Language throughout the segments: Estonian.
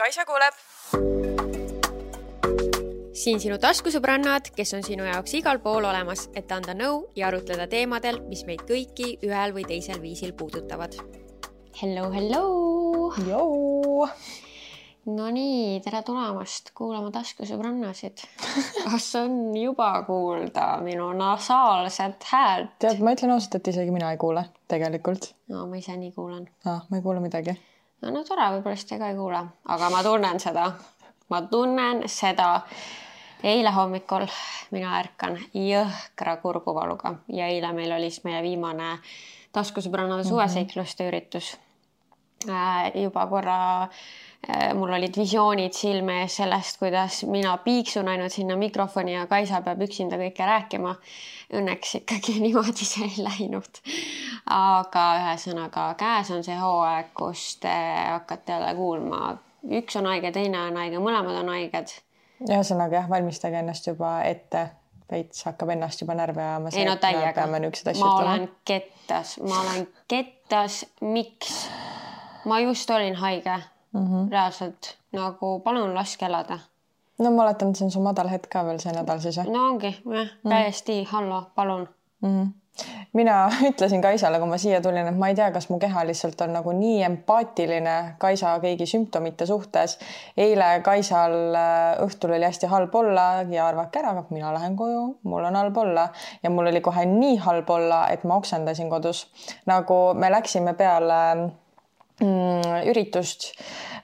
Kaisa kuuleb. Siin sinu taskusõbrannad, kes on sinu jaoks igal pool olemas, et anda nõu ja arutleda teemadel, mis meid kõiki ühel või teisel viisil puudutavad. Hello, hello! Joo! No nii, tere tulemast kuulama taskusõbrannasid. Kas on juba kuulda minu nasaalset häält? Tead, ma ütlen ausalt, et isegi mina ei kuule tegelikult. No, ma ise nii kuulen. Ma ei kuule midagi. No tore, võib-olla te ka ei kuule. Aga ma tunnen seda. Eile hommikul mina ärkan jõhkra kurguvaluga. Ja eile meil oli meie viimane taskusõbrannade suveseikluste üritus. Juba korra mul olid visioonid silme ees sellest, kuidas mina piiksun ainult sinna mikrofoni ja Kaisa peab üksinda kõike rääkima. Õnneks ikkagi niimoodi see ei läinud. Aga ühesõnaga käes on see hooaeg, kus te hakkate jälle kuulma. Üks on haige, teine on haige, mõlemad on haiged. Ühesõnaga jah, valmistage ennast juba ette. Veits hakkab ennast juba närve ajama. Ei no täiega. Ma olen kettas. Miks? Ma just olin haige. Reaalselt. Nagu palun laske elada. No ma oletan, et see on su madal hetk ka veel see nädal siis. No ongi. Täiesti. Hallo, palun. Mina ütlesin Kaisale, kui ma siia tulin, et ma ei tea, kas mu keha lihtsalt on nagu nii empaatiline Kaisa kõigi sümptomite suhtes. Eile Kaisal õhtul oli hästi halb olla ja arvake ära, aga mina lähen koju, mul on halb olla. Ja mul oli kohe nii halb olla, et ma oksendasin kodus. Nagu me läksime peale üritust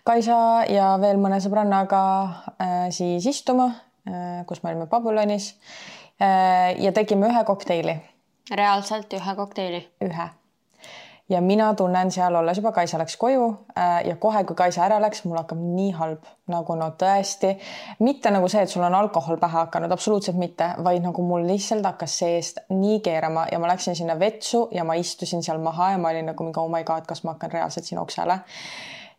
Kaisa ja veel mõne sõbrannaga siis istuma, kus me olime Pabulonis ja tegime ühe kokteili. Reaalselt ühe kokteili? Ühe. Ja mina tunnen seal olles juba Kaisa läks koju ja kohe, kui Kaisa ära läks, mul hakkab nii halb. Nagu no tõesti, mitte nagu see, et sul on alkohol pähe hakanud, absoluutselt mitte, vaid nagu mul lihtsalt hakkas seest nii keerama ja ma läksin sinna vetsu ja ma istusin seal maha ja ma olin nagu mingi, oh my god, kas ma hakkan reaalselt siin oksele.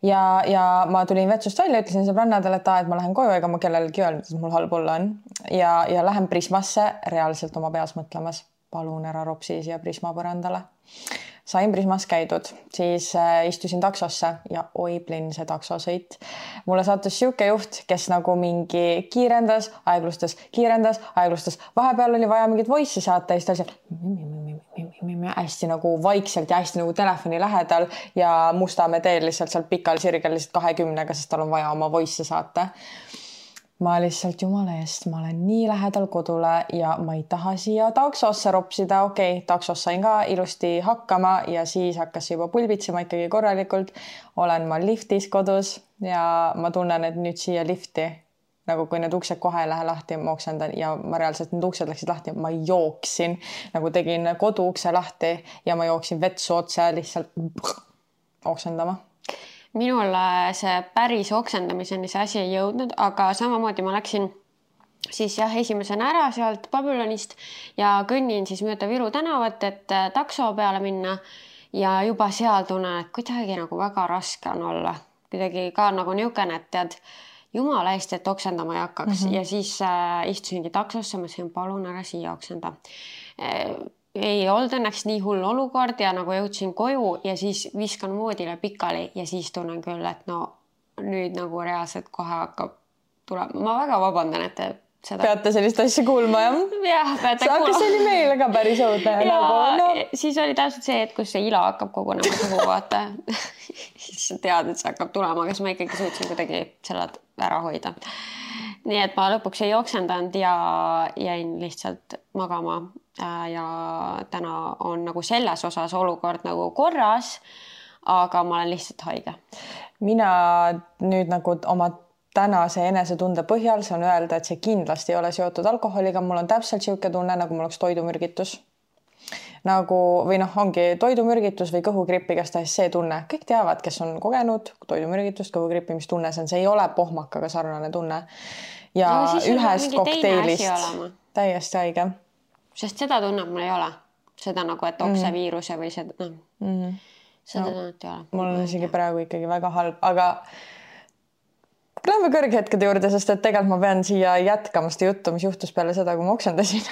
Ja ma tulin vetsust välja, ütlesin sõbrannadele, et ma lähen koju, ega ma kellelegi öelnud, et mul halb olla on. Ja lähen Prismasse reaalselt oma peas mõtlemas. Palun ära ropsi siia Prisma põrandale. Sain Prismas käidud, siis istusin taksosse ja oiblin see taksosõit. Mulle sattus siuke juht, kes nagu mingi kiirendas, aeglustas. Vahepeal oli vaja mingit voice'i saata ja siis ta hästi nagu vaikselt ja hästi nagu telefoni lähedal ja Mustamäe teel lihtsalt seal pikal sirgel lihtsalt 20-ga, sest tal on vaja oma voice'i saata. Ma lihtsalt jumala eest, ma olen nii lähedal kodule ja ma ei taha siia taksosse ropsida. Okei, taksos sain ka ilusti hakkama ja siis hakkas juba pulbitsema ikkagi korralikult. Olen ma liftis kodus ja ma tunnen, et nüüd siia lifti, nagu kui need uksed kohe ei lähe lahti, ma oksendan ja ma reaalselt need uksed läksid lahti. Ma jooksin, nagu tegin koduukse lahti ja ma jooksin vetsu otse lihtsalt oksendama. Minul see päris oksendamiseni see asi ei jõudnud, aga samamoodi ma läksin siis esimesena ära sealt Babylonist ja kõnnin siis mööda Viru tänavat, et takso peale minna ja juba seal tunnen, et kuidagi nagu väga raske on olla. Kuidagi ka nagu niukene, et tead, jumala eest, et oksendama ei hakkaks ja siis istusingi taksosse, ma sain palun ära siia oksenda. Ei olnud õnneks nii hull olukord ja nagu jõudsin koju ja siis viskan voodile pikali ja siis tunnen küll, et no nüüd nagu reaalselt kohe hakkab tulema. Ma väga vabandan, et te seda... Peate sellist asja kuulma, jah? Jah, peate kuulma. Aga see oli meile ka päris õudne. Ja siis oli täpselt see, et kus see ila hakkab kogunema suhu, vaata. Siis sa tead, et see hakkab tulema, aga ma ikkagi suutsin kuidagi selle ära hoida. Nii et ma lõpuks ei oksendanud ja jäin lihtsalt magama ja täna on nagu selles osas olukord nagu korras, aga ma olen lihtsalt haige. Mina nüüd nagu oma tänase enesetunde põhjal saan öelda, et see kindlasti ei ole seotud alkoholiga. Mul on täpselt siuke tunne, nagu mul oleks toidumürgitus. Nagu, või ongi toidumürgitus või kõhugripp, igastahes see tunne. Kõik teavad, kes on kogenud toidumürgitust, kõhugrippi, mis tunne see on. See ei ole pohmakaga sarnane tunne. Ja ühest kokteilist täiesti haige. Sest seda tunneb mul ei ole. Seda nagu, et okseviiruse või seda, seda tunnet ei ole. Mul on isegi praegu ikkagi väga halb, aga lähme kõrghetkede juurde, sest et tegelikult ma pean siia jätkama seda juttu, mis juhtus peale seda, kui ma oksendasin.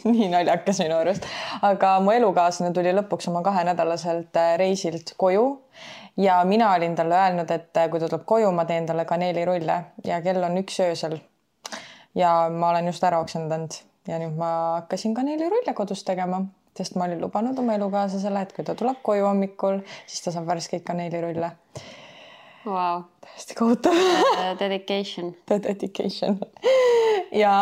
nii naljakas minu arust. Aga mu elukaaslane tuli lõpuks oma 2-nädalaselt reisilt koju ja mina olin talle öelnud, et kui ta tuleb koju, ma teen talle kaneelirulle ja kell on 1 öösel. Ja ma olen just ära oksendanud ja nüüd ma hakkasin kaneelirulle kodus tegema, sest ma olin lubanud oma elukaaslasele, et kui ta tuleb koju hommikul, siis ta saab värskeid kaneelirulle. Wow. Täiesti kohutav. Dedication. Dedication. Ja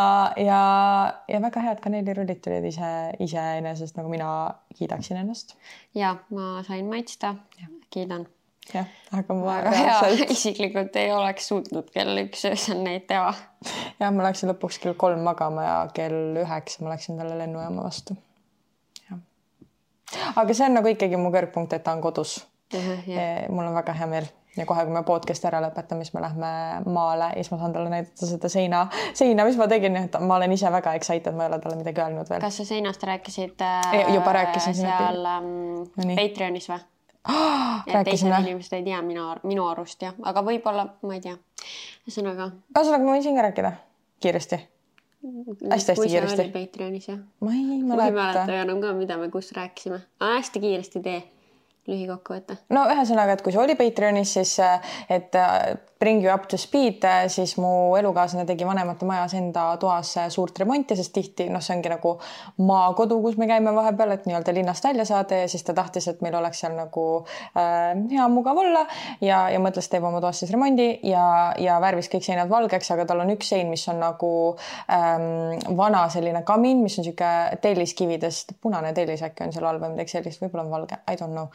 väga head kaneelirullit tulid iseenesest, nagu mina kiidaksin ennast. Ja, ma sain maitsta. Kiidan. Jah, aga ma isiklikult ei oleks suutnud kell 1 öösel neid teha. Ja, ma läksin lõpuks kell 3 magama ja kell 9 ma läksin talle lennujaama vastu. Ja. Aga see on nagu ikkagi mu kõrgpunkt, et ta on kodus. Mul on väga hea meel. Ja kohe, kui me podcasti ära lõpetame, siis me lähme maale ja siis ma saan talle näidata seda seina, mis ma tegin. Ma olen ise väga excited, ma ei ole talle midagi öelnud veel. Kas sa seinast rääkisid juba rääkisin seal Patreonis või? Teised inimesed ei tea minu arust, jah. Aga võib-olla, ma ei tea. Ühesõnaga ma võin siin ka rääkida kiiresti. Hästi kui kiiresti. Kui sa olid Patreonis, jah? Ma ei mäleta enam ka, mida me kus rääkisime. Hästi kiiresti tee. Lühikokkuvõte. No ühesõnaga, et kui see oli Patreonis, siis et bring you up to speed, siis mu elukaaslane tegi vanemate majas enda toas suurt remonti, sest tihti, see ongi nagu maakodu, kus me käime vahepeal, et nii-öelda linnast välja saada ja siis ta tahtis, et meil oleks seal nagu hea mugav olla ja mõtles, teeb oma toas siis remondi ja värvis kõik seinad valgeks, aga tal on üks sein, mis on nagu vana selline kamin, mis on siuke telliskividest, punane tellis äkki on seal all või midagi sellist, võib-olla on valge, I don't know.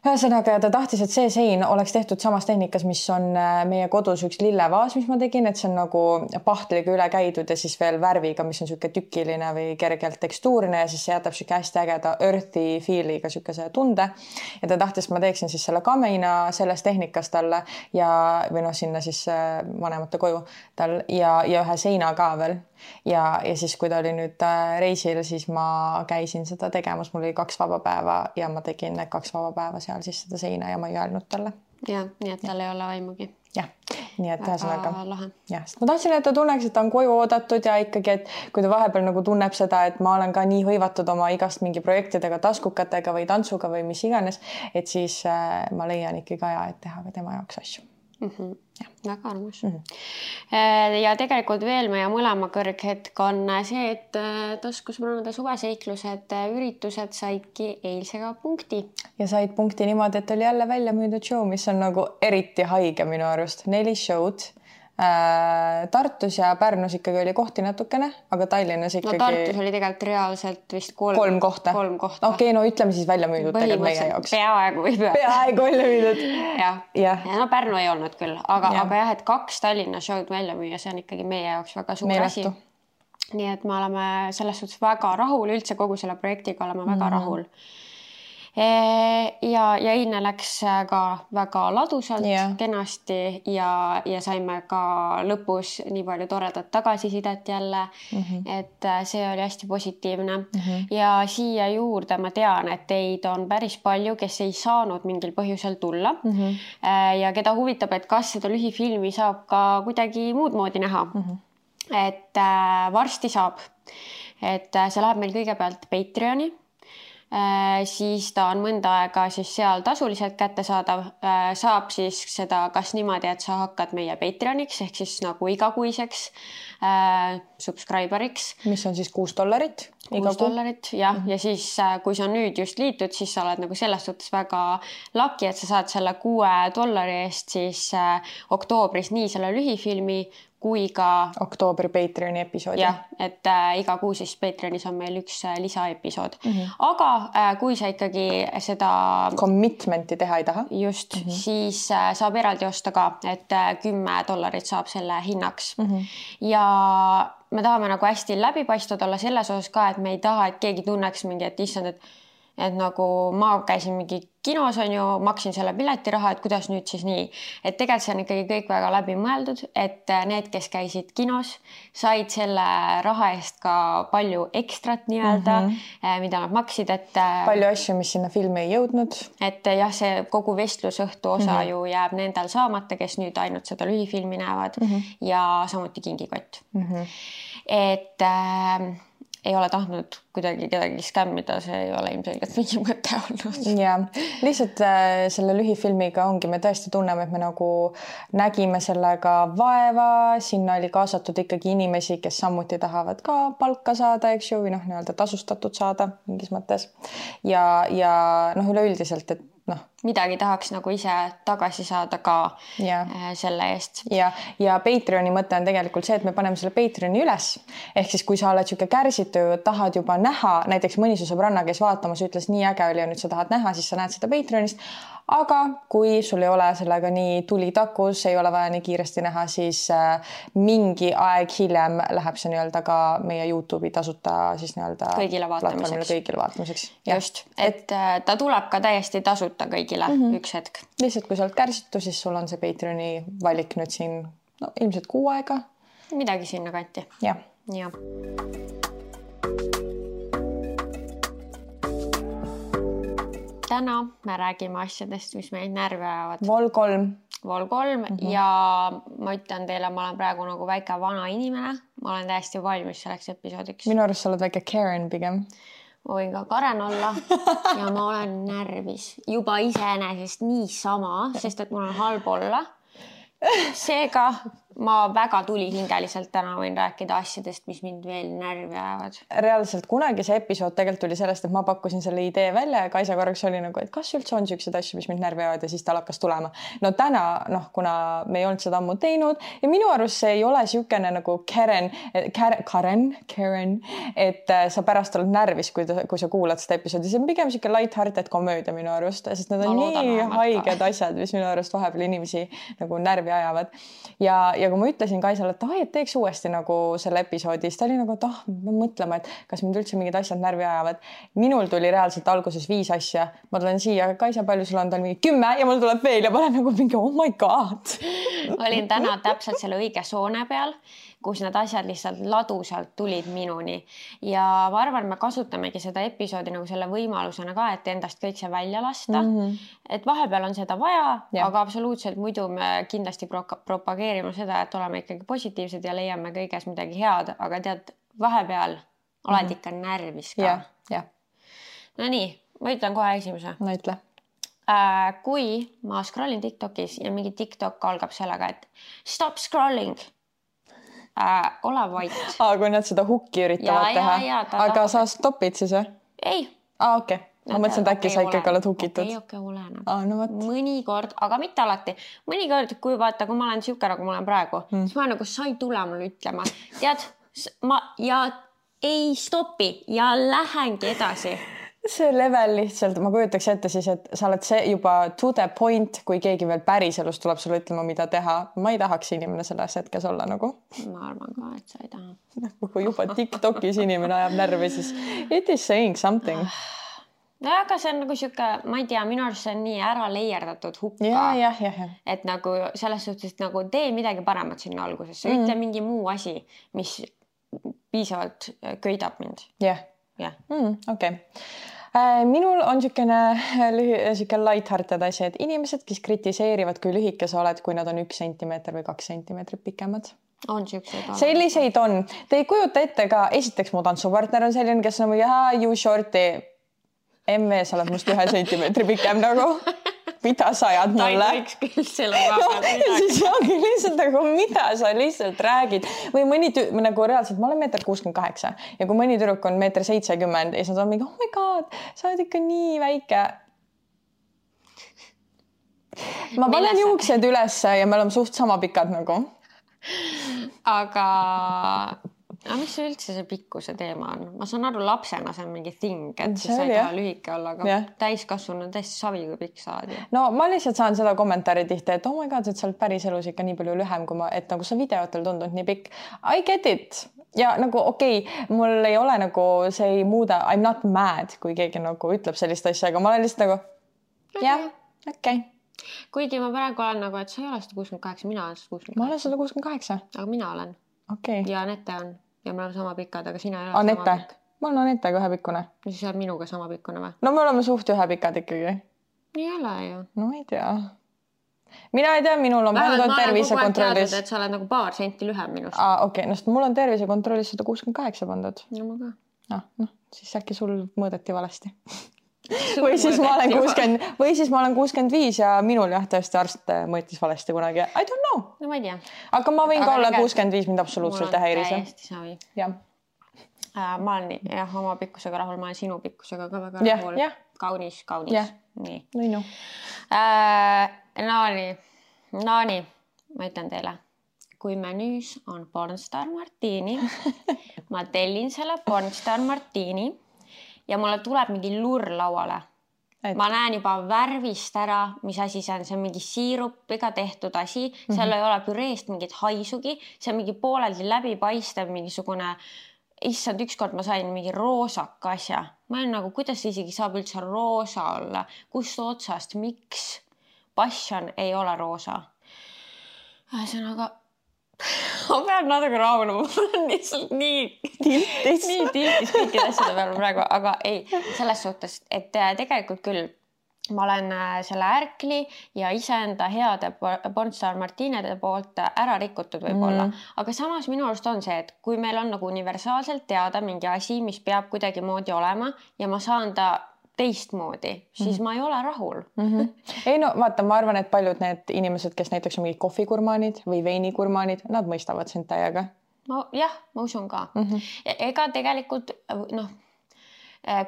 Ühesõnaga, ta tahtis, et see sein oleks tehtud samas tehnikas, mis on meie kodus üks lillevaas, mis ma tegin, et see on nagu pahtliga üle käidud ja siis veel värviga, mis on siuke tükiline või kergelt tekstuurne ja siis see jätab siuke hästi ägeda earthy feeliga siukese tunde. Ja ta tahtis, et ma teeksin siis selle kamina selles tehnikas talle või sinna siis vanemate koju tal ja ühe seina ka veel. Ja siis, kui ta oli nüüd reisil, siis ma käisin seda tegemas. Mul oli 2 vaba päeva ja ma tegin 2 vaba päeva seal siis seda seina ja ma ei öelnud talle. Ja, nii et tal ei ole vaimugi. Jah, nii et ühesõnaga. Lahe. Ja, ma tahtsin, et ta tunneks, et ta on koju oodatud ja ikkagi, et kui ta vahepeal nagu tunneb seda, et ma olen ka nii hõivatud oma igast mingi projektidega, taskukatega või tantsuga või mis iganes, et siis ma leian ikkagi aja, et teha ka tema jaoks asju. Väga armus. Ja tegelikult veel meie mõlema kõrghetk on see, et taskusmõnade suveseiklused, üritused saidki eilsega punkti. Ja said punkti niimoodi, et oli jälle välja müüdud show, mis on nagu eriti haige minu arust. 4 show'd. Tartus ja Pärnus ikkagi oli kohti natukene, aga Tallinnas ikkagi... No Tartus oli tegelikult reaalselt vist 3 kohta. Okei, no ütleme siis välja müüdud tegelikult meie jaoks. Peaaegu või Peaaegu välja müüdud. Ja no Pärnu ei olnud küll, aga jah, et 2 Tallinna show'd välja müüa, see on ikkagi meie jaoks väga suur asi. Nii et me oleme selles suhtes väga rahul, üldse kogu selle projektiga oleme väga rahul. Ja eilne läks ka väga ladusalt, kenasti ja saime ka lõpus nii palju toredat tagasisidet jälle, et see oli hästi positiivne. Ja siia juurde ma tean, et teid on päris palju, kes ei saanud mingil põhjusel tulla ja keda huvitab, et kas seda lühifilmi saab ka kuidagi muud moodi näha. Et varsti saab, et see läheb meil kõigepealt Patreoni. Siis ta on mõnda aega siis seal tasuliselt kättesaadav, saab siis seda kas niimoodi, et sa hakkad meie Patreoniks ehk siis nagu igakuiseks subscriberiks. Mis on siis $6 $6, jah. Ja siis, kui sa nüüd just liitud, siis sa oled nagu selles suhtes väga lucky, et sa saad selle $6 eest siis oktoobris nii selle lühifilmi kui ka oktoobri Patreoni episoodi. Jah, et iga kuu siis Patreonis on meil üks lisaepisood. Aga kui sa ikkagi seda commitmenti teha ei taha, just, siis saab eraldi osta ka, et $10 saab selle hinnaks. Ja me tahame nagu hästi läbipaistvad olla selles osas ka, et me ei taha, et keegi tunneks mingi, et issand, et nagu ma käisin mingi kinos on ju, maksin selle piletiraha, et kuidas nüüd siis nii. Et tegelikult see on ikkagi kõik väga läbi mõeldud, et need, kes käisid kinos, said selle raha eest ka palju ekstrat nii-öelda, mida nad maksid, et palju asju, mis sinna filmi ei jõudnud. Et jah, see kogu vestlusõhtu osa ju jääb nendel saamata, kes nüüd ainult seda lühifilmi näevad ja samuti kingikott. ei ole tahtnud kuidagi kedagi skämmida, see ei ole ilmselgelt mingi mõte olnud. Ja lihtsalt selle lühifilmiga ongi, me tõesti tunneme, et me nagu nägime sellega vaeva, sinna oli kaasatud ikkagi inimesi, kes samuti tahavad ka palka saada, eks ju, või noh, nii-öelda tasustatud saada mingis mõttes. Ja noh, üleüldiselt, et noh, midagi tahaks nagu ise tagasi saada ka selle eest. Ja Patreoni mõte on tegelikult see, et me paneme selle Patreoni üles. Ehk siis, kui sa oled siuke kärsitu, tahad juba näha, näiteks mõni su sõbranna, kes vaatamas ütles nii äge oli ja nüüd sa tahad näha, siis sa näed seda Patreonist. Aga kui sul ei ole sellega nii tuli takus, ei ole vaja nii kiiresti näha, siis mingi aeg hiljem läheb see nii-öelda ka meie YouTube'i tasuta siis nii-öelda kõigile vaatamiseks. Just, et ta tuleb ka täiesti tasuta kõigile üks hetk. Lihtsalt kui sa oled kärsitu, siis sul on see Patreoni valik nüüd siin ilmselt 6 aega. Midagi sinna kanti. Ja. Täna me räägime asjadest, mis meid närvi ajavad. Vol 3 ja ma ütlen teile, ma olen praegu nagu väike vana inimene. Ma olen täiesti valmis selleks episoodiks. Minu arust sa oled väike Karen pigem. Ma võin ka Karen olla ja ma olen närvis juba iseenesest niisama, sest et mul on halb olla. Seega ma väga tulihingeliselt täna võin rääkida asjadest, mis mind veel närvi ajavad. Reaalselt kunagi see episood tegelikult tuli sellest, et ma pakkusin selle idee välja ja Kaisa korraks oli nagu, et kas üldse on siuksed asju, mis mind närvi ajavad ja siis tal hakkas tulema. No täna, kuna me ei olnud seda ammu teinud ja minu arust see ei ole siukene nagu Karen, et sa pärast oled närvis, kui sa kuulad seda episoodi. See on pigem siuke light-hearted komöödia minu arust, sest need on nii haiged asjad, mis minu arust vahepeal inimesi nagu närvi ajavad. Ja kui ma ütlesin Kaisale, et teeks uuesti nagu selle episoodi, siis ta oli nagu, et me mõtlema, et kas mind üldse mingid asjad närvi ajavad. Minul tuli reaalselt alguses 5 asja. Ma tulen siia, Kaisa, palju sul on? Ta on mingi 10 ja mul tuleb veel ja ma olen nagu mingi, oh my god. Olin täna täpselt selle õige soone peal, kus need asjad lihtsalt ladusalt tulid minuni. Ja ma arvan, me kasutamegi seda episoodi nagu selle võimalusena ka, et endast kõik see välja lasta. Et vahepeal on seda vaja, aga absoluutselt muidu me kindlasti propageerime seda, et oleme ikkagi positiivsed ja leiame kõiges midagi head, aga tead, vahepeal oled ikka närvis ka. No nii, ma ütlen kohe esimese. No ütle. Kui ma scrollin TikTokis ja mingi TikTok algab sellega, et stop scrolling, ole vait. Kui nad seda hukki üritavad teha. Aga sa stopid siis või? Ei. Okei. Ma mõtlesin, et äkki sa ikkagi oled hukitud. Okei, oleneb. No mõnikord, aga mitte alati. Mõnikord, kui vaata, kui ma olen siuke, nagu ma olen praegu, siis ma nagu sa ei tule mulle ütlema. Tead, ja ei stopi ja lähengi edasi. See level lihtsalt, ma kujutaks ette siis, et sa oled see juba to the point, kui keegi veel päriselus tuleb sulle ütlema, mida teha. Ma ei tahaks inimene selles hetkes olla nagu. Ma arvan ka, et sa ei taha. Kui juba TikTokis inimene ajab närvi, siis it is saying something. No aga see on nagu siuke, ma ei tea, minu arust see on nii ära leierdatud hukka. Ja. Et nagu selles suhtes nagu tee midagi paremat sinna alguses. Ütle mingi muu asi, mis piisavalt köidab mind. Jah. Okei. Minul on siuke light-hearted asi, et inimesed, kes kritiseerivad, kui lühike sa oled, kui nad on 1 sentimeeter või 2 sentimeetrit pikemad. On siukseid. Selliseid on. Te ei kujuta ette ka, esiteks mu tantsupartner on selline, kes on you shorty. MV, sa oled must 1 sentimeetri pikem nagu. Mida sa ajad mulle? Ta ei võiks küll selle vahepeal. Siis ongi lihtsalt nagu, mida sa lihtsalt räägid. Või mõni nagu reaalselt, ma olen 1,68 ja kui mõni tüdruk on 1,70 ja siis nad on mingi, oh my god, sa oled ikka nii väike. Ma panen juuksed ülesse ja me oleme suht sama pikad nagu. Aga mis üldse see pikkuse teema on? Ma saan aru, lapsena see on mingi thing, et siis sa ei taha lühike olla, aga täiskasvanu on täiesti savi, kui pikk saad. No ma lihtsalt saan seda kommentaari tihti, et oh my god, et sa oled päris elus ikka nii palju lühem, kui et nagu sa videotel tundnud nii pikk. I get it. Ja nagu okei, mul ei ole nagu, see ei muuda, I'm not mad, kui keegi nagu ütleb sellist asja, aga ma olen lihtsalt nagu okei. Kuigi ma praegu olen nagu, et sa ei ole 168, mina olen 168. Ma olen 168. Aga mina olen. Okei. Ja Anette on. Ja me oleme sama pikad, aga sina ei ole Anette. Sama pikk. Ma olen Anetega ühepikkune. Ja siis oled minuga sama pikkune või? No me oleme suht ühepikad ikkagi. Nii ei ole ju. No ei tea. Mina ei tea, minul on pandud tervisekontrollis. Teadnud, et sa oled nagu paar senti lühem minust. Okei, no mul on tervisekontrollis 168 pandud. Ja ma ka. siis äkki sul mõõdeti valesti. Või siis ma olen 65 ja minul jah, tõesti arst mõõtis valesti kunagi. I don't know. No ma ei tea. Aga ma võin ka olla 65, mind absoluutselt ei häiri see. Täiesti savi. Jah. Ma olen jah, oma pikkusega rahul, ma olen sinu pikkusega ka väga rahul. Kaunis. Nii. No. Naani, ma ütlen teile, kui menüüs on Pornstar Martini, ma tellin selle Pornstar Martini ja mulle tuleb mingi lurr lauale. Ma näen juba värvist ära, mis asi see on. See on mingi siirupiga tehtud asi. Seal ei ole püreest mingit haisugi. See on mingi pooleldi läbipaistev mingisugune... Issand, ükskord ma sain mingi roosaka asja. Ma olen nagu, kuidas isegi saab üldse roosa olla? Kust otsast? Miks? Passion ei ole roosa. Ühesõnaga, ma pean natuke rahunema. Ma olen lihtsalt nii tiltis kõikide asjade peale praegu. Aga ei, selles suhtes, et tegelikult küll ma olen selle ärkli ja iseenda heade Pornstar Martinede poolt ära rikutud võib-olla. Aga samas minu arust on see, et kui meil on nagu universaalselt teada mingi asi, mis peab kuidagi moodi olema ja ma saan ta teistmoodi, siis ma ei ole rahul. Ei no vaata, ma arvan, et paljud need inimesed, kes näiteks on mingid kohvikurmaanid või veinikurmaanid, nad mõistavad sind täiega. Jah, ma usun ka. Ega tegelikult,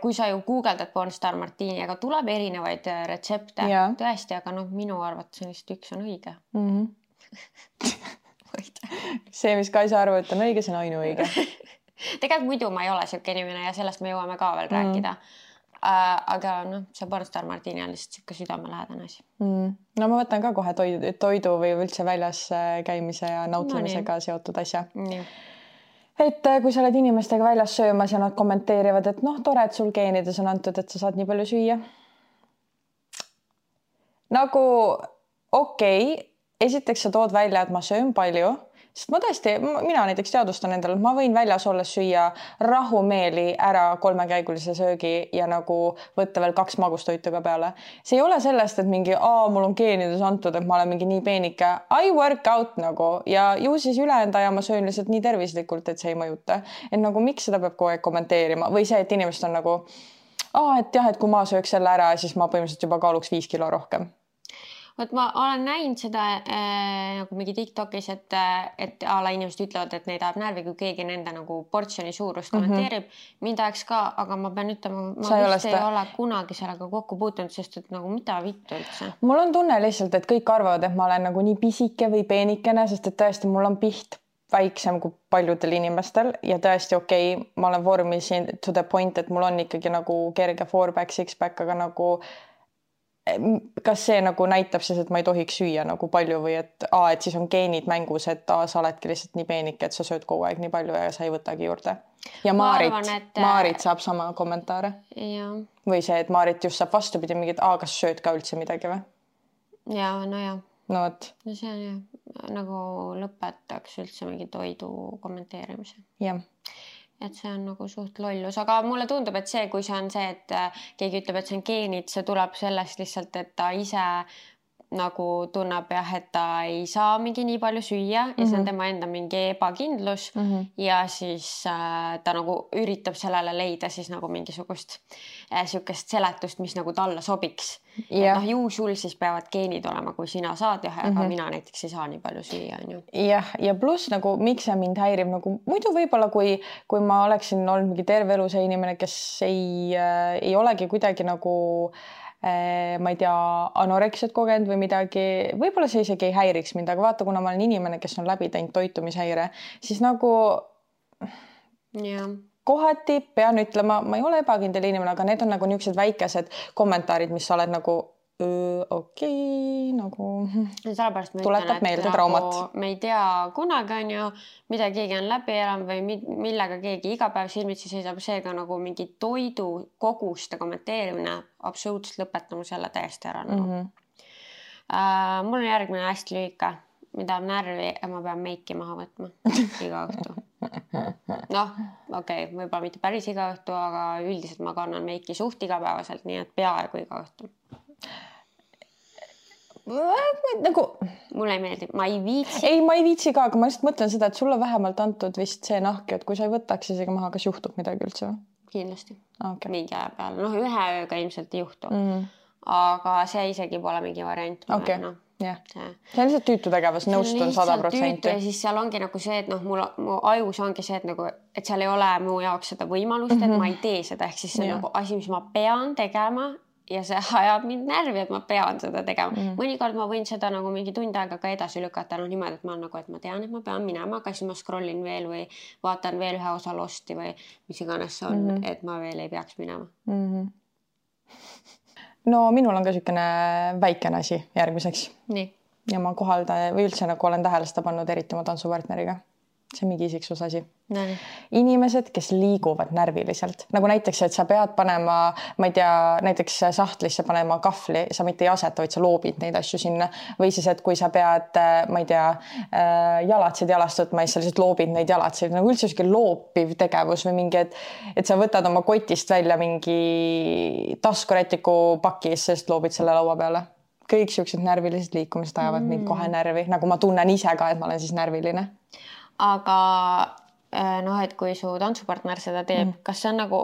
kui sa ju guugeldad Pornstar Martini, aga tuleb erinevaid retsepte. Tõesti, aga minu arvates on lihtsalt üks on õige. See, mis Kaisa arvab, et on õige, see on ainuõige. Tegelikult muidu ma ei ole siuke inimene ja sellest me jõuame ka veel rääkida. Aga see Pornstar Martini on lihtsalt siuke südamelähedane asi. No ma võtan ka kohe toidu või üldse väljas käimise ja nautlemisega seotud asja. Et kui sa oled inimestega väljas söömas ja nad kommenteerivad, et tore, et sul geenides on antud, et sa saad nii palju süüa. Nagu okei, esiteks sa tood välja, et ma söön palju, sest ma tõesti, mina näiteks teadustan endale, ma võin väljas olles süüa rahumeeli ära 3-käigulise söögi ja nagu võtta veel 2 magustoitu ka peale. See ei ole sellest, et mingi, mul on geenides antud, et ma olen mingi nii peenike. I work out nagu ja ju siis ülejäänud aja ma söön lihtsalt nii tervislikult, et see ei mõjuta. Et nagu miks seda peab kogu aeg kommenteerima või see, et inimesed on nagu, et jah, et kui ma sööks selle ära, siis ma põhimõtteliselt juba kaaluks 5 kilo rohkem. Vot ma olen näinud seda nagu mingi TikTokis, et ala inimesed ütlevad, et neid ajab närvi, kui keegi nende nagu portsjoni suurust kommenteerib. Mind ajaks ka, aga ma pean ütlema, ma vist ei ole kunagi sellega kokku puutunud, sest et nagu mida vittu üldse. Mul on tunne lihtsalt, et kõik arvavad, et ma olen nagu nii pisike või peenikene, sest et tõesti mul on piht väiksem kui paljudel inimestel ja tõesti okei, ma olen vormis to the point, et mul on ikkagi nagu kerge 4-pack, 6-pack, aga nagu kas see nagu näitab siis, et ma ei tohiks süüa nagu palju või et siis on geenid mängus, et sa oledki lihtsalt nii peenike, et sa sööd kogu aeg nii palju ja sa ei võtagi juurde. Ja Maarit saab sama kommentaare. Ja. Või see, et Maarit just saab vastupidi mingid, kas sööd ka üldse midagi või? Ja, no ja. No võt. No see on jah, nagu lõpetaks üldse mingi toidu kommenteerimise. Jah. Et see on nagu suht lollus, aga mulle tundub, et see, kui see on see, et keegi ütleb, et see on geenid, see tuleb sellest lihtsalt, et ta ise nagu tunneb jah, et ta ei saa mingi nii palju süüa ja see on tema enda mingi ebakindlus ja siis ta nagu üritab sellele leida siis nagu mingisugust siukest seletust, mis nagu talle sobiks. Ju sul siis peavad geenid olema, kui sina saad aga mina näiteks ei saa nii palju süüa. Jah, ja pluss nagu miks see mind häirib, nagu muidu võib-olla kui ma oleksin olnud mingi terve elu see inimene, kes ei olegi kuidagi nagu ma ei tea, anoreksiat kogenud või midagi, võib-olla see isegi ei häiriks mind, aga vaata, kuna ma olen inimene, kes on läbi teinud toitumishäire, siis nagu kohati pean ütlema, ma ei ole ebakindel inimene, aga need on nagu niisugused väikesed kommentaarid, mis sa oled nagu okei, nagu tuletab meelde traumat. Me ei tea kunagi on ju, mida keegi on läbi elanud või millega keegi iga päev silmitsi seisab, seega nagu mingi toidu koguste kommenteerimine absoluutselt lõpetama selle täiesti ära. Mul on järgmine hästi lühike, mida on närvi ja ma pean meiki maha võtma iga õhtu. Okei, võib-olla mitte päris iga õhtu, aga üldiselt ma kannan meiki suht igapäevaselt, nii et peaaegu iga õhtu. Nagu mulle ei meeldi, ma ei viitsi. Ei, ma ei viitsi ka, aga ma lihtsalt mõtlen seda, et sulle vähemalt antud vist see nahk, et kui sa ei võtaks isegi maha, kas juhtub midagi üldse? kindlasti Okay. mingi aja peale, noh, ühe ööga ilmselt ei juhtu aga see isegi pole mingi variant. Okay. No, yeah. See on lihtsalt tüütu tegevus, nõustun 100%. Ja siis seal ongi nagu see, et noh, mu ajus ongi see, et nagu, et seal ei ole mu jaoks seda võimalust, et ma ei tee seda, ehk siis see on nagu asi, mis ma pean tegema ja see ajab mind närvi, et ma pean seda tegema. Mõnikord ma võin seda nagu mingi tund aega ka edasi lükata, noh niimoodi, et ma nagu, et ma tean, et ma pean minema, aga siis ma scrollin veel või vaatan veel ühe osa Losti või mis iganes see on, et ma veel ei peaks minema. No minul on ka sükene väikene asi järgmiseks. Nii. Ja ma kohaldan või üldse nagu olen tähele seda pannud eriti oma tantsupartneriga. See on mingi isiksuse asi. Inimesed, kes liiguvad närviliselt. Nagu näiteks, et sa pead panema, ma ei tea, näiteks sahtlisse panema kahvli, sa mitte ei aseta, vaid sa loobid neid asju sinna. Või siis, et kui sa pead, ma ei tea, jalatsid jalast võtma, siis sa lihtsalt loobid neid jalatsid. Nagu üldse selline loopiv tegevus või mingi, et sa võtad oma kotist välja mingi taskurätiku pakis, sest loobid selle laua peale. Kõik siuksed närvilised liikumised ajavad mind kohe närvi. Nagu ma tunnen ise ka, et ma olen siis närviline. Aga noh, et kui su tantsupartner seda teeb, kas see on nagu,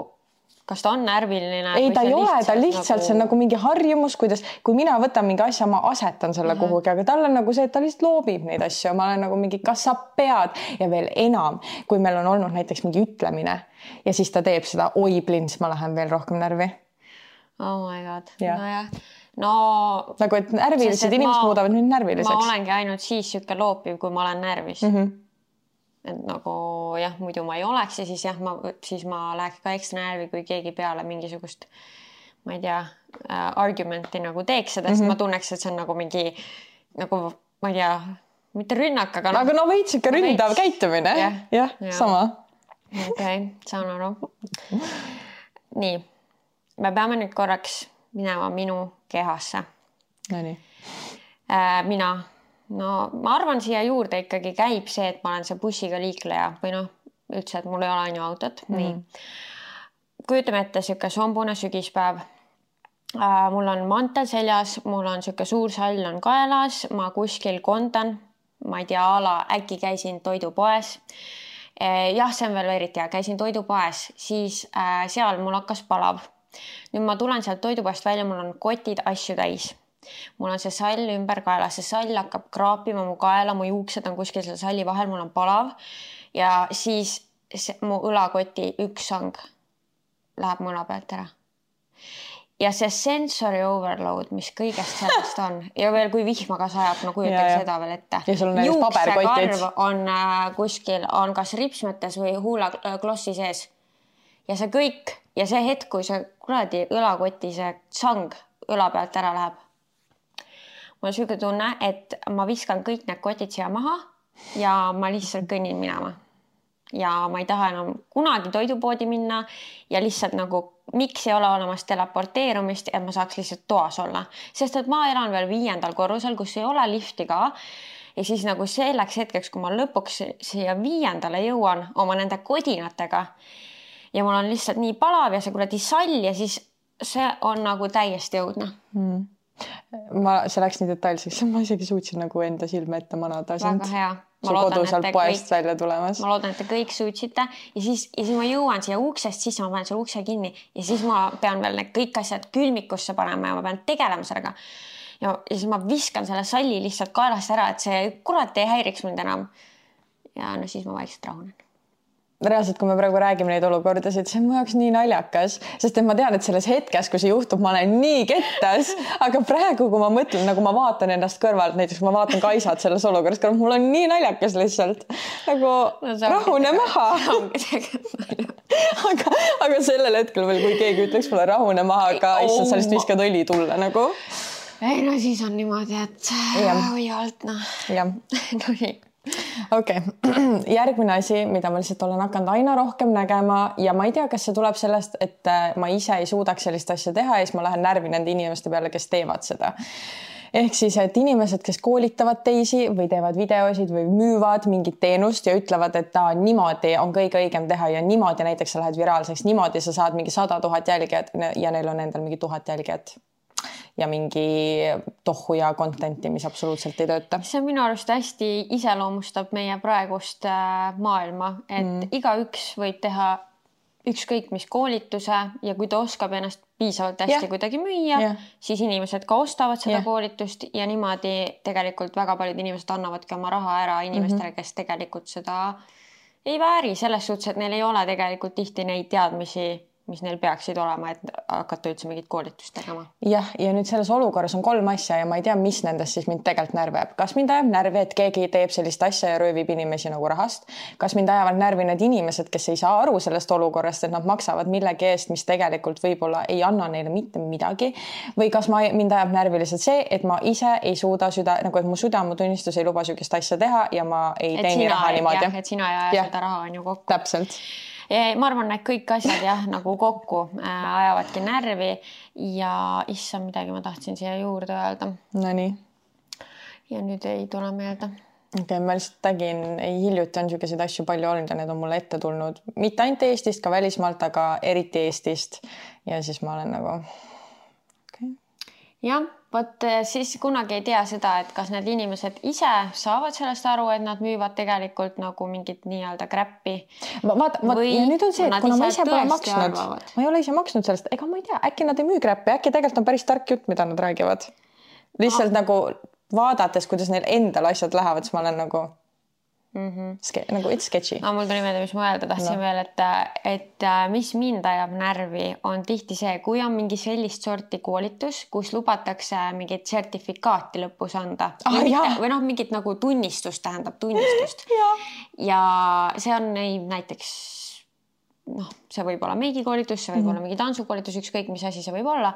kas ta on närviline? Ei, ta ei ole, ta lihtsalt, see on nagu mingi harjumus, kuidas, kui mina võtan mingi asja, ma asetan selle kuhugi, aga tal on nagu see, et ta lihtsalt loobib neid asju. Ma olen nagu mingi, kas sa pead ja veel enam, kui meil on olnud näiteks mingi ütlemine ja siis ta teeb seda, oi plins, ma lähen veel rohkem närvi. Oh my god, nojah. No, nagu, et närvilised inimesed muudavad nüüd närviliseks. Ma olengi ainult siis sükke loopiv, kui ma olen närvis. Et nagu jah, muidu ma ei oleks ja siis jah, siis ma läheks ka ekstra närvi, kui keegi peale mingisugust, ma ei tea, argumenti nagu teeks seda, sest ma tunneks, et see on nagu mingi, nagu ma ei tea, mitte rünnak, aga no. Aga no veits ikka ründav käitumine. Jah, sama. Okay, saan aru. Nii, me peame nüüd korraks minema minu kehasse. No nii. Mina... No ma arvan, siia juurde ikkagi käib see, et ma olen see bussiga liikleja või noh, üldse, et mul ei ole ainu autot. Nii. Kujutame ette siuke sombune sügispäev. Mul on mantel seljas, mul on siuke suur sall on kaelas, ma kuskil kondan, ma ei tea, äkki käisin toidupoes. Jah, see on veel eriti hea, käisin toidupoes, siis seal mul hakkas palav. Nüüd ma tulen sealt toidupoest välja, mul on kotid asju täis. Mul on see sall ümber kaela, see sall hakkab kraapima mu kaela, mu juuksed on kuskil selle salli vahel, mul on palav ja siis mu õlakoti üks sang läheb mu õla pealt ära. Ja see sensory overload, mis kõigest sellest on ja veel kui vihma ka sajab, no kujutage seda veel ette. Juuksekarv on kuskil, on kas ripsmetes või huulaklossi sees ja see kõik ja see hetk, kui see kuradi õlakoti see sang õla pealt ära läheb. Mul on süge tunne, et ma viskan kõik need kotid siia maha ja ma lihtsalt kõnnin minema. Ja ma ei taha enam kunagi toidupoodi minna ja lihtsalt nagu, miks ei ole olemas teleporteerumist, et ma saaks lihtsalt toas olla. Sest et ma elan veel 5. korrusel, kus ei ole lifti ka. Ja siis nagu selleks hetkeks, kui ma lõpuks siia 5. jõuan oma nende kodinatega ja mul on lihtsalt nii palav ja see kuradi sall ja siis see on nagu täiesti õudne. See läks nii detailseks, ma isegi suutsin nagu enda silme ette manada. Väga hea. Su kodu sealt poest välja tulemas. Ma loodan, et te kõik suutsite ja siis ma jõuan siia uksest, siis ma panen selle ukse kinni ja siis ma pean veel need kõik asjad külmikusse panema ja ma pean tegelema sellega. Ja siis ma viskan selle salli lihtsalt kaelast ära, et see kurat ei häiriks mind enam. Ja no siis ma vaikselt rahunen. Reaalselt, kui me praegu räägime neid olukordasid, see on mu jaoks nii naljakas, sest et ma tean, et selles hetkes, kui see juhtub, ma olen nii kettas, aga praegu, kui ma mõtlen, nagu ma vaatan ennast kõrvalt, näiteks ma vaatan Kaisat selles olukorras, mul on nii naljakas lihtsalt, nagu rahune maha. aga sellel hetkel veel, kui keegi ütleks mulle rahune maha, aga issand, sa lihtsalt viskad õli tulla nagu. Ei, no siis on niimoodi, et või alt, noh. Jah. No nii. Okay. Järgmine asi, mida ma lihtsalt olen hakanud aina rohkem nägema ja ma ei tea, kas see tuleb sellest, et ma ise ei suudaks sellist asja teha ja siis ma lähen närvi nende inimeste peale, kes teevad seda. Ehk siis, et inimesed, kes koolitavad teisi või teevad videosid või müüvad mingit teenust ja ütlevad, et niimoodi on kõige õigem teha ja niimoodi näiteks sa lähed viraalseks, niimoodi sa saad mingi 100 000 jälgijat ja neil on endal mingi 1000 jälgijat. Ja mingi tohu ja contenti, mis absoluutselt ei tööta. See on minu arust hästi iseloomustab meie praegust maailma, et igaüks võib teha ükskõik mis koolituse ja kui ta oskab ennast piisavalt hästi kuidagi müüa, siis inimesed ka ostavad seda koolitust ja niimoodi tegelikult väga paljud inimesed annavadki oma raha ära inimestele, kes tegelikult seda ei vääri selles suhtes, et neil ei ole tegelikult tihti neid teadmisi, mis neil peaksid olema, et hakata üldse mingit koolitust tegema. Jah, ja nüüd selles olukorras on 3 asja ja ma ei tea, mis nendest siis mind tegelikult närvi ajab. Kas mind ajab närvi, et keegi teeb sellist asja ja röövib inimesi nagu rahast? Kas mind ajavad närvi need inimesed, kes ei saa aru sellest olukorrast, et nad maksavad millegi eest, mis tegelikult võib-olla ei anna neile mitte midagi? Või kas mind ajab närvi lihtsalt see, et ma ise ei suuda nagu et mu südametunnistus ei luba sükest asja teha ja ma ei teeni raha niimoodi. Et sina ei aja seda raha on ju kokku. Täpselt. Ma arvan, et kõik asjad nagu kokku ajavadki närvi ja issand, midagi ma tahtsin siia juurde öelda. No nii. Ja nüüd ei tule meelde. Okay, ma lihtsalt hiljuti on selliseid asju palju olnud ja need on mulle ette tulnud. Mitte ainult Eestist, ka välismaalt, aga eriti Eestist. Ja siis ma olen nagu... Okay. Jah, võt siis kunagi ei tea seda, et kas need inimesed ise saavad sellest aru, et nad müüvad tegelikult nagu mingit nii-öelda kräppi. Ja nüüd on see, et kuna ma ise pole maksnud, ma ei ole ise maksnud sellest, ega ma ei tea, äkki nad ei müü kräppi, äkki tegelikult on päris tark jutt, mida nad räägivad. Lihtsalt nagu vaadates, kuidas neil endal asjad lähevad, siis ma olen nagu... nagu it's sketchy. Mul tuli meelde, mis ma öelda tahtsin veel, et mis mind ajab närvi on tihti see, kui on mingi sellist sorti koolitus, kus lubatakse mingit sertifikaati lõpus anda või mingit nagu tunnistust, tähendab tunnistust ja see on näiteks see võib olla meigikoolitus, see võib olla mingi tantsukoolitus, ükskõik mis asi see võib olla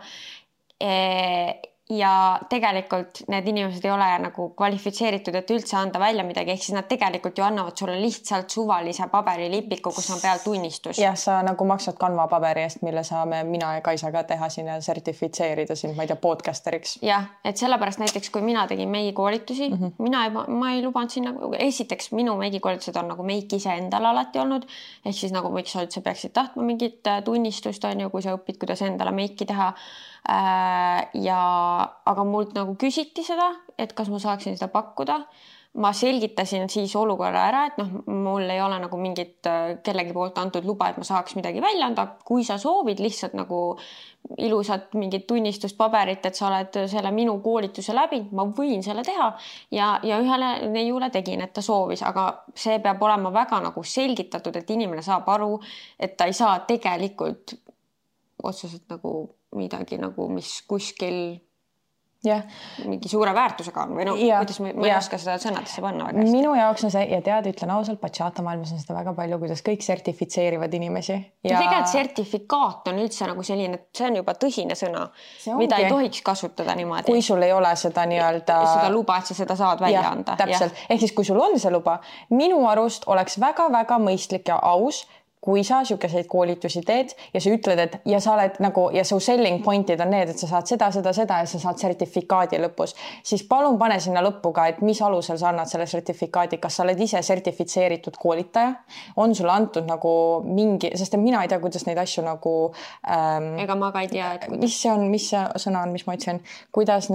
ja tegelikult need inimesed ei ole nagu kvalifitseeritud, et üldse anda välja midagi, ehk siis nad tegelikult ju annavad sulle lihtsalt suvalise paberilipiku, kus on peal tunnistus. Jah, sa nagu maksad Canva paberi eest, mille saame mina ja Kaisa ka teha siin ja sertifitseerida siin, ma ei tea, podcasteriks. Jah, et sellepärast näiteks, kui mina tegin meigikoolitusi, ma ei lubanud sinna, esiteks minu meigikoolitused on nagu meik ise endal alati olnud, ehk siis nagu miks sa üldse peaksid tahtma mingit tunnistust, on ju, kui sa õpid, kuidas endale meiki teha. Aga mult nagu küsiti seda, et kas ma saaksin seda pakkuda. Ma selgitasin siis olukorra ära, et mul ei ole nagu mingit kellegi poolt antud luba, et ma saaks midagi välja anda. Kui sa soovid lihtsalt nagu ilusat mingit tunnistuspaberit, et sa oled selle minu koolituse läbi, ma võin selle teha ja ühele neiule tegin, et ta soovis, aga see peab olema väga nagu selgitatud, et inimene saab aru, et ta ei saa tegelikult otseselt nagu midagi nagu, mis kuskil mingi suure väärtusega on või kuidas ma ei oska seda sõnadesse panna väga hästi. Minu jaoks on see, ja tead, ütlen ausalt, bachata maailmas on seda väga palju, kuidas kõik sertifitseerivad inimesi. Ja tegelikult sertifikaat on üldse nagu selline, et see on juba tõsine sõna, mida ei tohiks kasutada niimoodi. Kui sul ei ole seda nii-öelda... Seda luba, et sa seda saad välja anda. Täpselt. Ehk siis, kui sul on see luba, minu arust oleks väga-väga mõistlik ja aus, kui sa siukeseid koolitusi teed ja sa ütled, et ja sa oled nagu ja su selling pointid on need, et sa saad seda ja sa saad sertifikaadi lõpus, siis palun pane sinna lõppu ka, et mis alusel sa annad selle sertifikaadi, kas sa oled ise sertifitseeritud koolitaja, on sulle antud nagu mingi, sest mina ei tea, kuidas neid asju nagu ega ma ka ei tea, et mis see sõna on, mis ma ütlesin, kuidas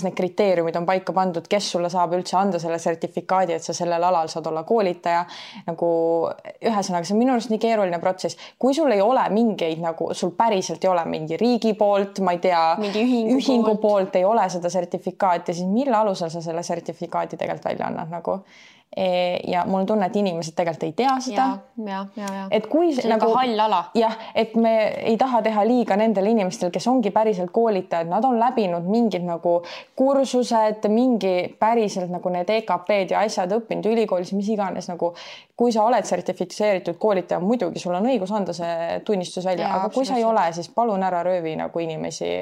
need kriteeriumid on paika pandud, kes sulle saab üldse anda selle sertifikaadi, et sa sellel alal saad olla koolitaja, nagu ühesõnaga see on minu arust nii keeruline protsess. Kui sul ei ole mingeid, nagu sul päriselt ei ole mingi riigi poolt, ma ei tea, ühingu poolt ei ole seda sertifikaati, siis mille alusel sa selle sertifikaadi tegelikult välja annad nagu? Ja mul on tunne, et inimesed tegelikult ei tea seda. Et kui see nagu hall ala. Jah, et me ei taha teha liiga nendel inimestel, kes ongi päriselt koolitajad, nad on läbinud mingid nagu kursused, mingi päriselt nagu need EKP-d ja asjad õppinud ülikoolis, mis iganes nagu, kui sa oled sertifitseeritud koolitaja, muidugi sul on õigus anda see tunnistus välja, aga kui sa ei ole, siis palun ära röövi nagu inimesi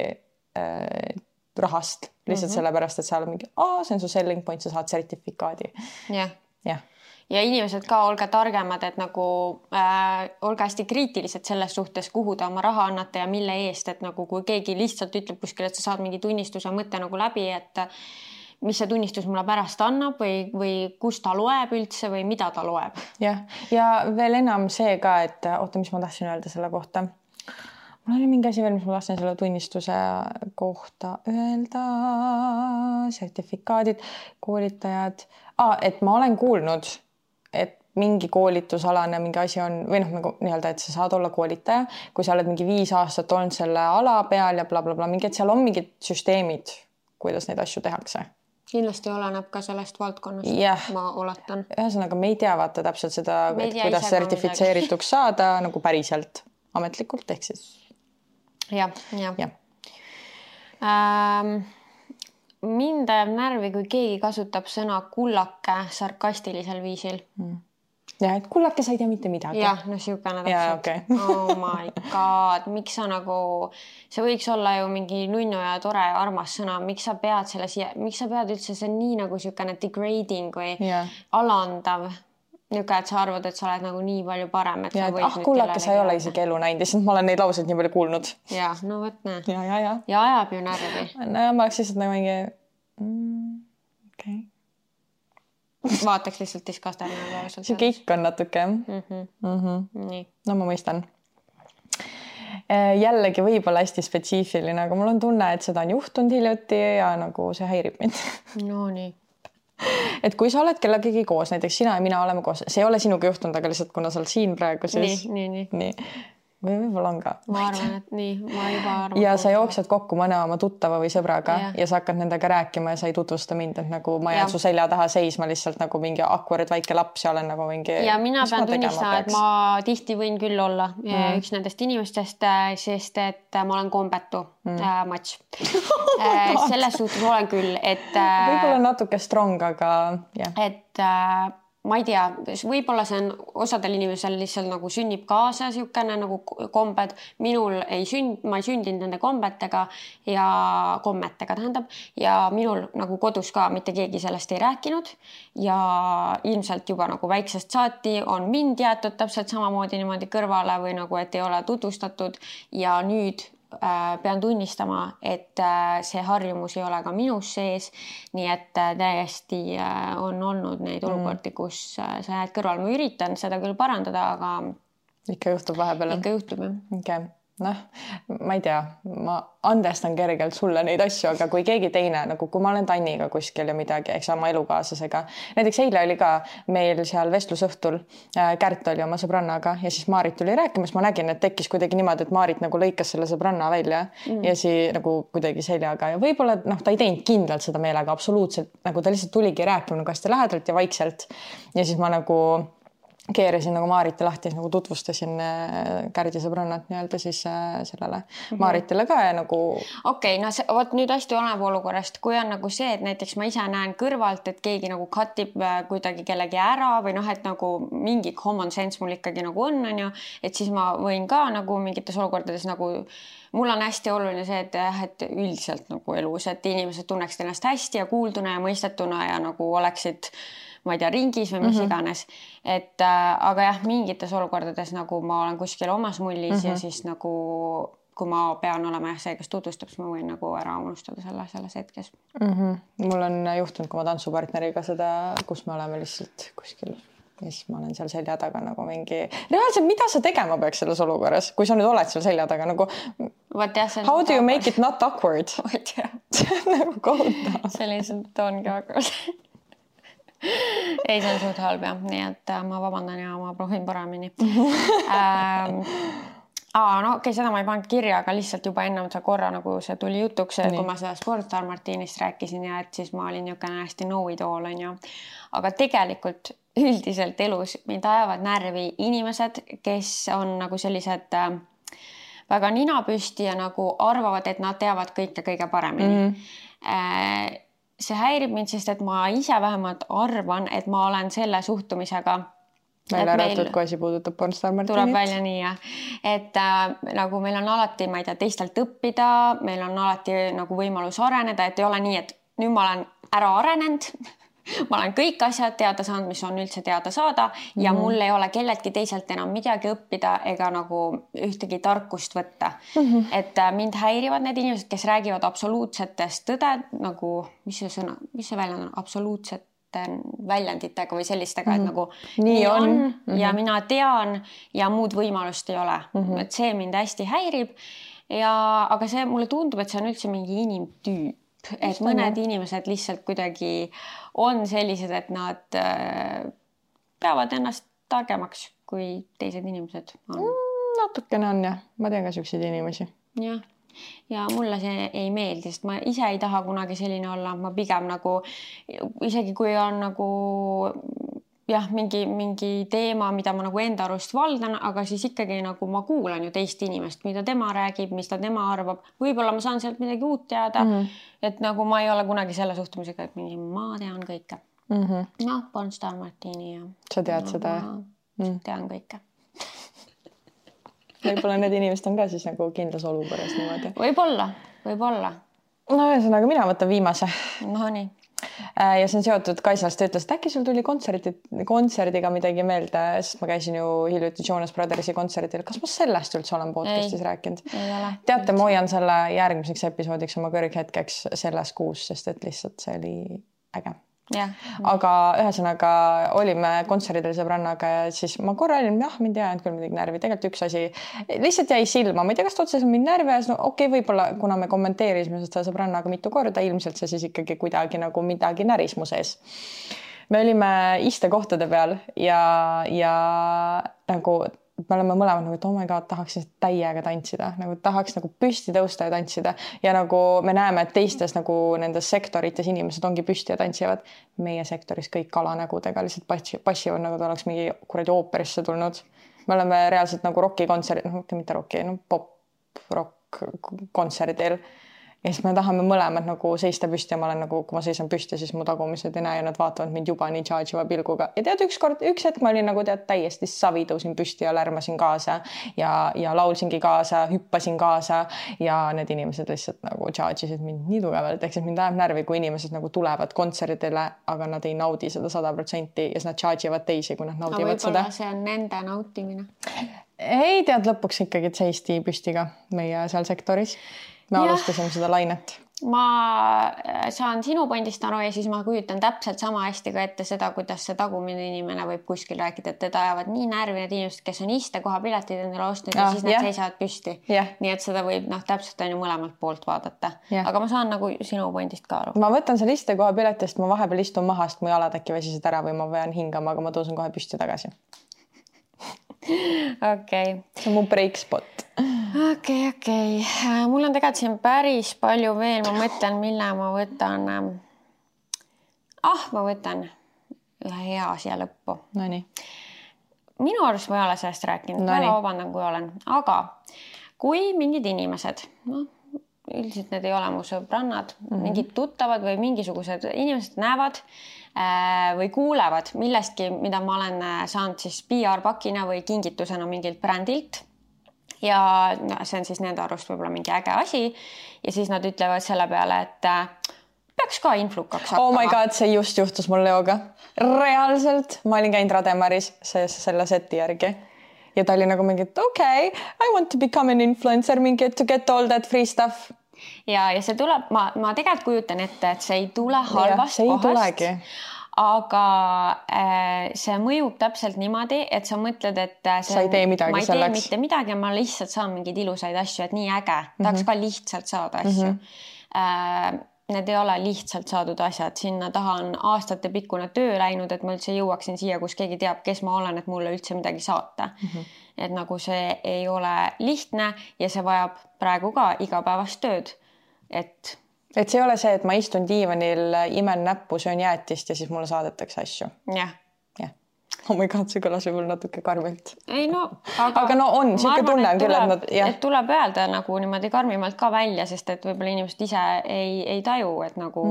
rahast, lihtsalt sellepärast, et seal on mingi, see on su selling point, sa saad sertifikaadi. Ja inimesed ka olge targemad, et nagu olge hästi kriitilised selles suhtes, kuhu te oma raha annate ja mille eest, et nagu kui keegi lihtsalt ütleb kuskil, et sa saad mingi tunnistuse mõtte nagu läbi, et mis see tunnistus mulle pärast annab või kus ta loeb üldse või mida ta loeb. Ja veel enam see ka, et mis ma tahtsin öelda selle kohta. Mul oli mingi asi veel, mis ma tahtsin selle tunnistuse kohta öelda, sertifikaadid, koolitajad. Et ma olen kuulnud, et mingi koolitusalane mingi asi on või noh, nagu nii-öelda, et sa saad olla koolitaja, kui sa oled mingi 5 aastat olnud selle ala peal ja blablabla, mingi, et seal on mingid süsteemid, kuidas neid asju tehakse. Kindlasti oleneb ka sellest valdkonnast, ma oletan. Ühesõnaga, me ei tea vaata täpselt seda, et kuidas sertifitseerituks saada nagu päriselt ametlikult, ehk siis. Ja. Mind ajab närvi, kui keegi kasutab sõna kullake sarkastilisel viisil. Ja, et kullake sa ei tea mitte midagi. Jah, no siukene täpselt. Okay. Oh my god, miks sa nagu, see võiks olla ju mingi nunnu ja tore armas sõna, miks sa pead üldse, see on nii nagu siukene degrading või alandav. Niuke, et sa arvad, et sa oled nagu nii palju parem. Et kullake sa ei ole isegi elu näinud, lihtsalt ma olen neid lauseid nii palju kuulnud. Ja, no võt näe. Ja ajab ju närvi. No ma oleks lihtsalt nagu mingi, okei. Vaataks lihtsalt diskasterna. See kõik on natuke. Nii. No ma mõistan. Jällegi võib-olla hästi spetsiifiline, aga mul on tunne, et seda on juhtunud hiljuti ja nagu see häirib mind. No nii. Et kui sa oled kellegagi koos, näiteks sina ja mina oleme koos, see ei ole sinuga juhtunud, aga lihtsalt kuna sa oled siin praegu, siis... Nii. Või võib-olla on ka. Ma arvan, et nii. Ma juba arvan. Ja sa jooksed kokku mõne oma tuttava või sõbraga ja sa hakkad nendega rääkima ja sa ei tutvusta mind, et nagu ma jään su selja taha seisma lihtsalt nagu mingi awkward väike laps ja olen nagu mingi... Ja mina pean tunnistama, et ma tihti võin küll olla üks nendest inimestest, sest et ma olen kombetu matš. Selles suhtes olen küll, et... Võib-olla natuke strong, aga... Et... ma ei tea, võib-olla see on osadel inimesel lihtsalt nagu sünnib kaasa siukene nagu kombed. Minul ma ei sündinud nende kommetega tähendab ja minul nagu kodus ka mitte keegi sellest ei rääkinud ja ilmselt juba nagu väiksest saati on mind jäetud täpselt samamoodi niimoodi kõrvale või nagu, et ei ole tutvustatud ja nüüd pean tunnistama, et see harjumus ei ole ka minus sees, nii et täiesti on olnud neid olukordi, kus sa jääd kõrval. Ma üritan seda küll parandada, aga ikka juhtub vahepeal. Ikka juhtub, jah. Okay. Noh, ma ei tea, ma andestan kergelt sulle neid asju, aga kui keegi teine, nagu kui ma olen Tanniga kuskil ja midagi, eks oma elukaaslasega, näiteks eile oli ka meil seal vestlusõhtul, Kärt oli oma sõbrannaga ja siis Maarit tuli rääkimas, ma nägin, et tekkis kuidagi niimoodi, et Maarit nagu lõikas selle sõbranna välja ja siis nagu kuidagi seljaga ja võib-olla ta ei teinud kindlalt seda meelega absoluutselt, nagu ta lihtsalt tuligi rääkima nagu hästi lähedalt ja vaikselt ja siis ma nagu keerasin nagu Maariti lahti, nagu tutvustasin Kärdi sõbrannat nii-öelda siis sellele Maaritile ka ja nagu... Okei, no võt nüüd hästi oleneb olukorrast, kui on nagu see, et näiteks ma ise näen kõrvalt, et keegi nagu cutib kuidagi kellegi ära või noh, et nagu mingi common sense mul ikkagi nagu on ju, et siis ma võin ka nagu mingites olukordades nagu... Mul on hästi oluline see, et üldiselt nagu elus, et inimesed tunneksid ennast hästi ja kuulduna ja mõistetuna ja nagu oleksid ma ei tea, ringis või mis iganes. Et, aga jah, mingites olukordades nagu ma olen kuskil omas mullis ja siis nagu, kui ma pean olema see, kes tutvustab, siis ma võin nagu ära unustada selles hetkes. Mul on juhtunud, kui ma tantsupartneriga seda, kus me oleme lihtsalt kuskil ja siis ma olen seal selja taga nagu mingi... Reaalselt, mida sa tegema peaks selles olukorras, kui sa nüüd oled seal selja taga nagu... How do you make it not awkward? See on nagu kohutav. See lihtsalt ongi awkward. Ei, see on suht halb jah, nii et ma vabandan ja ma proovin paremini. No okei, seda ma ei pannud kirja, aga lihtsalt juba ennem see korra nagu see tuli jutuks, kui ma seda Sportstar Martinist rääkisin ja et siis ma olin niisugune hästi know-it-all on ju. Aga tegelikult üldiselt elus mind ajavad närvi inimesed, kes on nagu sellised väga ninapüsti ja nagu arvavad, et nad teavad kõike kõige paremini. See häirib mind, sest et ma ise vähemalt arvan, et ma olen selle suhtumisega välja arvatud, kui asi puudutab Sportstar Martinit. Tuleb välja nii, jah. Et nagu meil on alati, ma ei tea, teistelt õppida, meil on alati nagu võimalus areneda, et ei ole nii, et nüüd ma olen ära arenenud, ma olen kõik asjad teada saanud, mis on üldse teada saada ja mul ei ole kelletki teiselt enam midagi õppida ega nagu ühtegi tarkust võtta. Et mind häirivad need inimesed, kes räägivad absoluutsetest tõde, nagu, mis see väljend on, absoluutsete väljenditega või sellistega, et nagu nii on ja mina tean ja muud võimalust ei ole. Et see mind hästi häirib. Aga see mulle tundub, et see on üldse mingi inimtüüp. Et mõned inimesed lihtsalt kuidagi on sellised, et nad peavad ennast targemaks, kui teised inimesed on. Natukene on jah, ma tean ka selliseid inimesi. Jah, ja mulle see ei meeldi, sest ma ise ei taha kunagi selline olla, ma pigem nagu, isegi kui on nagu jah, mingi teema, mida ma nagu enda arust valdan, aga siis ikkagi nagu ma kuulan ju teist inimest, mida tema räägib, mis ta tema arvab. Võib-olla ma saan sealt midagi uut teada, et nagu ma ei ole kunagi selle suhtumisega, et mingi ma tean kõike. Noh, Pornstar Martini ja... Sa tead seda? Tean kõike. Võib-olla need inimesed on ka siis nagu kindlas olukorras niimoodi. Võib-olla. No ühesõnaga, mina võtan viimase. No nii. Ja see on seotud Kaisast, ütles, et äkki sul tuli kontserdiga midagi meelde, sest ma käisin ju hiljuti Jonas Brothersi kontserdil. Kas ma sellest üldse olen podcastis rääkinud? Ei ole. Teate, ma hoian selle järgmiseks episoodiks oma kõrghetkeks selles kuus, sest et lihtsalt see oli äge. Yeah. Aga ühesõnaga olime kontserdil sõbrannaga ja siis ma korra olin, mind ei jäänud küll midagi närvi. Tegelikult üks asi lihtsalt jäi silma. Ma ei tea, kas otses on mind närvi ja no, okei, võib-olla kuna me kommenteerisime seda sõbrannaga mitu korda, ilmselt see siis ikkagi kuidagi nagu midagi näris mu sees. Me olime istekohtade peal ja nagu me oleme mõlemad nagu, et oh my god, tahaks täiega tantsida, nagu tahaks nagu püsti tõusta ja tantsida ja nagu me näeme, et teistes nagu nendes sektorites inimesed ongi püsti ja tantsivad. Meie sektoris kõik kalanägudega lihtsalt passivad, nagu ta oleks mingi kuradi ooperisse tulnud. Me oleme reaalselt nagu rokikontserdil, mitte roki, pop-rock kontserdil. Ja siis me tahame mõlemad nagu seista püsti ja ma olen nagu, kui ma seisan püsti, siis mu tagumised ei näe ja nad vaatavad mind juba nii charge'iva pilguga. Ja tead, üks hetk ma olin nagu täiesti savi, tõusin püsti ja lärmasin kaasa ja laulsingi kaasa, hüppasin kaasa ja need inimesed lihtsalt nagu charge'isid mind nii tugevalt. Ehk siis mind ajab närvi, kui inimesed nagu tulevad kontserdile, aga nad ei naudi seda 100% ja siis nad charge'ivad teisi, kui nad naudivad seda. Võib-olla see on nende nautimine. Ei tead, lõpuks ikkagi seisti püstiga meie seal sektoris. Me alustasime seda lainet. Ma saan sinu pointist aru ja siis ma kujutan täpselt sama hästi ka ette seda, kuidas see tagumine inimene võib kuskil rääkida, et teda ajavad nii närvi need inimesed, kes on iste koha piletid endale ostnud ja siis nad seisavad püsti. Nii et seda võib täpselt on ju mõlemalt poolt vaadata. Aga ma saan nagu sinu pointist ka aru. Ma võtan selle iste koha piletist, ma vahepeal istun mahast, mu jalad äkki väsisid ära või ma pean hingama, aga ma tõusen kohe püsti tagasi. Okay. See on mu break spot. Okei. Mul on tegelikult siin päris palju veel. Ma mõtlen, mille ma võtan. Ma võtan ühe hea siia lõppu. No nii. Minu arust ma ei ole sellest rääkinud. Väga vabandan, kui olen. Aga kui mingid inimesed, üldiselt need ei ole mu sõbrannad, mingid tuttavad või mingisugused inimesed näevad või kuulevad millestki, mida ma olen saanud siis PR-pakina või kingitusena mingilt brändilt. Ja see on siis nende arust võib-olla mingi äge asi. Ja siis nad ütlevad selle peale, et peaks ka influkaks hakkama. Oh my god, see just juhtus mul Leoga. Reaalselt. Ma olin käinud Rademaris selle seti järgi. Ja ta oli nagu mingi, okay, I want to become an influencer, mingi to get all that free stuff. Ja see tuleb, ma tegelikult kujutan ette, et see ei tule halvast kohast. Tulegi. Aga see mõjub täpselt niimoodi, et sa mõtled, et sa ei tee midagi ma ei tee mitte midagi ja ma lihtsalt saan mingeid ilusaid asju, et nii äge. Tahaks ka lihtsalt saada asju. Need ei ole lihtsalt saadud asjad. Sinna taha on aastate pikkune töö läinud, et ma üldse jõuaksin siia, kus keegi teab, kes ma olen, et mulle üldse midagi saata. Et nagu see ei ole lihtne ja see vajab praegu ka igapäevast tööd. Et see ei ole see, et ma istun diivanil, imen näppu, söön jäätist ja siis mulle saadetakse asju. Jah. Oh my god, see kõlas võib-olla natuke karmilt. Ei no, aga no on, siuke tunne on küll, et nad... Et tuleb öelda nagu niimoodi karmimalt ka välja, sest et võib-olla inimesed ise ei taju, et nagu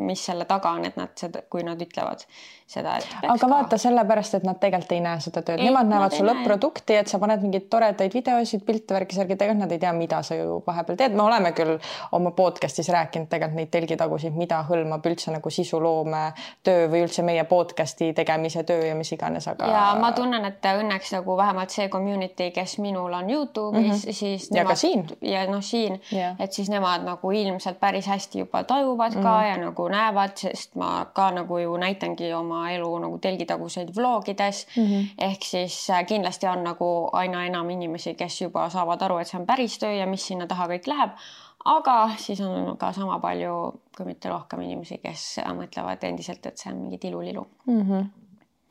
mis selle taga on, et nad seda, kui nad ütlevad seda, et aga vaata sellepärast, et nad tegelikult ei näe seda tööd. Nemad näevad su lõpp-produkti, et sa paned mingid toredaid videosid, pilte, värkisärgi, tegelikult nad ei tea, mida sa ju vahepeal teed. Me oleme küll oma podcastis rääkinud tegelikult neid telgitagusid, mida hõlmab üldse nagu sisuloome töö või üldse meie podcasti tegemise töö ja mis iganes. Aga... Ja ma tunnen, et õnneks nagu vähemalt see community, kes minul on YouTube'is, siis ja nemad, ka siin. Ja siin, et siis nemad nagu ilmselt päris hästi juba tajuvad ka ja nagu näevad, sest ma ka nagu ju näitangi oma elu nagu telgitaguseid vlogides. Ehk siis kindlasti on nagu aina enam inimesi, kes juba saavad aru, et see on päris töö ja mis sinna taha kõik läheb. Aga siis on ka sama palju, kui mitte rohkem inimesi, kes mõtlevad endiselt, et see on mingi tilulilu.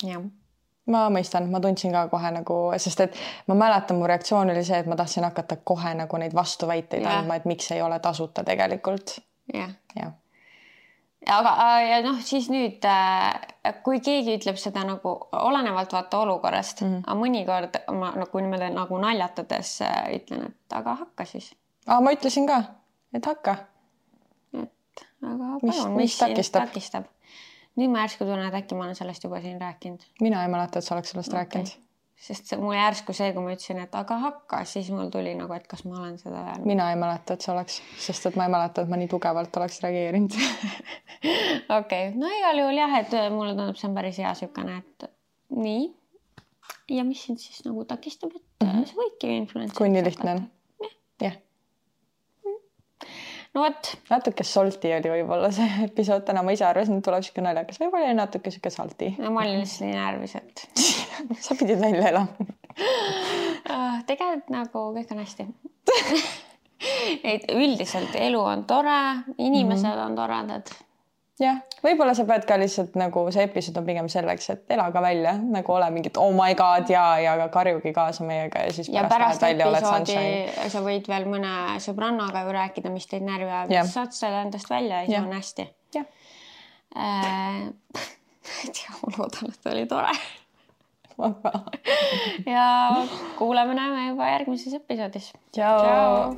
Jah. ma mõistan, ma tundsin ka kohe nagu, sest et ma mäletan, mu reaktsioon oli see, et ma tahtsin hakata kohe nagu neid vastuväiteid andma, et miks ei ole tasuta tegelikult. Jah. Jah. Aga ja noh, siis nüüd, kui keegi ütleb seda nagu olenevalt vaata olukorrast, aga mõnikord ma nagu niimoodi nagu naljatades ütlen, et aga hakka siis. Ma ütlesin ka, et hakka. Aga palun, mis takistab? Nüüd ma järsku tunnen, et äkki ma olen sellest juba siin rääkinud. Mina ei mäleta, et sa oleks sellest rääkinud. Sest mul järsku see, kui ma ütlesin, et aga hakka, siis mul tuli nagu, et kas ma olen seda öelnud. Mina ei mäleta, et sa oleks, sest et ma ei mäleta, et ma nii tugevalt oleks reageerinud. Okei, no igal juhul jah, et mulle tundub, see on päris hea sükane, et nii. Ja mis sind siis nagu takistab, et see võidki influencer. Kui nii lihtne on. Jah. No võt. Natuke salty oli võib-olla see episood täna, ma ise arvasin, et tuleb siuke naljakas. Võib-olla oli natuke siuke salty. No ma olin lihtsalt nii närvis, et... Sa pidid välja elama. Tegelikult nagu kõik on hästi. Üldiselt elu on tore, inimesed on toredad. Jah, võib-olla sa pead ka lihtsalt nagu see episood on pigem selleks, et ela ka välja, nagu ole mingid oh my god ja karjugi kaasa meiega ja siis pärast episoodi sa võid veel mõne sõbrannaga ju rääkida, mis teid närvi ajab, siis saad selle endast välja ja siis on hästi. Ei tea, ma loodan, et oli tore. Ja kuuleme näeme juba järgmises episoodis. Ciao!